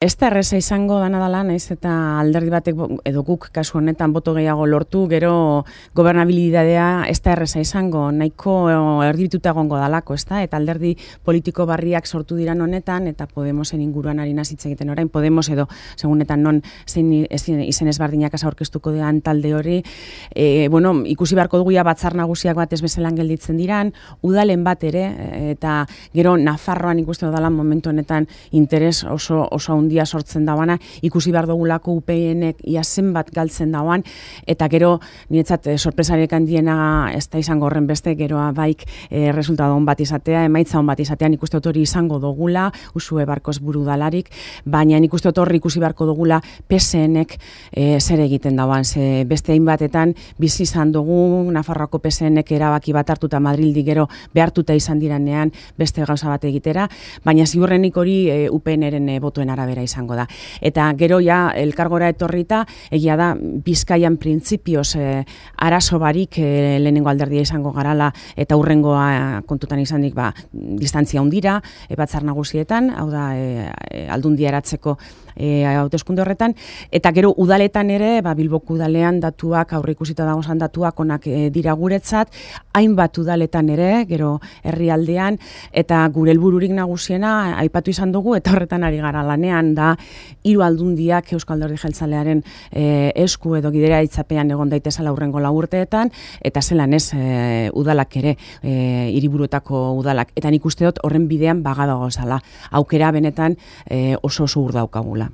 Ez da erreza izango dana dela, naiz eta alderdi batek edo guk kasu honetan boto gehiago lortu, gero gobernabilidadea ez da erreza izango, nahiko erdibituta egongo dalako, ez da? Eta alderdi politiko barriak sortu diran honetan, eta Podemosen inguruan ari hitz egiten orain, Podemos edo segunetan non zein izen ezberdinak aurkeztuko dean talde hori, ikusi beharko dugu batzar nagusiak bat ez bezalan gelditzen diran, udalen bat ere, eta gero Nafarroan ikusten dela momentu honetan interes oso handia sortzen dauana, ikusi behar dugulako UPN-ek ia zenbat galtzen dauan, eta gero niretzat sorpresarek handiena ez da izango horren beste, geroa baik resultado on bat izatea, emaitza on bat izatea, nik uste dut hori izango dugula, Usue Barkos buru dalarik, baina nik uste dut hori ikusi beharko dugula PSN-ek zer egiten dauan, ze beste hainbatetan bizi izan dugu, Nafarroako PSN-ek erabaki bat hartuta Madrildi gero behartuta izan diranean beste gauza bat egitera, baina ziurrenik hori UPN-eren botoen arabera izango da. Eta gero ja elkargora etorrita, egia da Bizkaian printzipioz arazo barik lehenengo alderdia izango garala eta hurrengoa kontutan izanik distantzia hundira, batzar nagusietan, hau da aldundia eratzeko hauteskunde horretan, eta gero udaletan ere, Bilboko udalean datuak, aurreikusita dagozan datuak onak dira guretzat, hainbat udaletan ere, gero herrialdean, eta gure helbururik nagusiena aipatu izan dugu, eta horretan ari gara lanean da, hiru aldundiak Euskal Alderdi Jeltzalearen esku edo gidera itzapean egon daitezela hurrengo 4 urteetan, eta zelan ez udalak ere, hiriburuetako udalak. Eta nik uste dut horren bidean bagadago zala. Aukera benetan oso ur daukagula.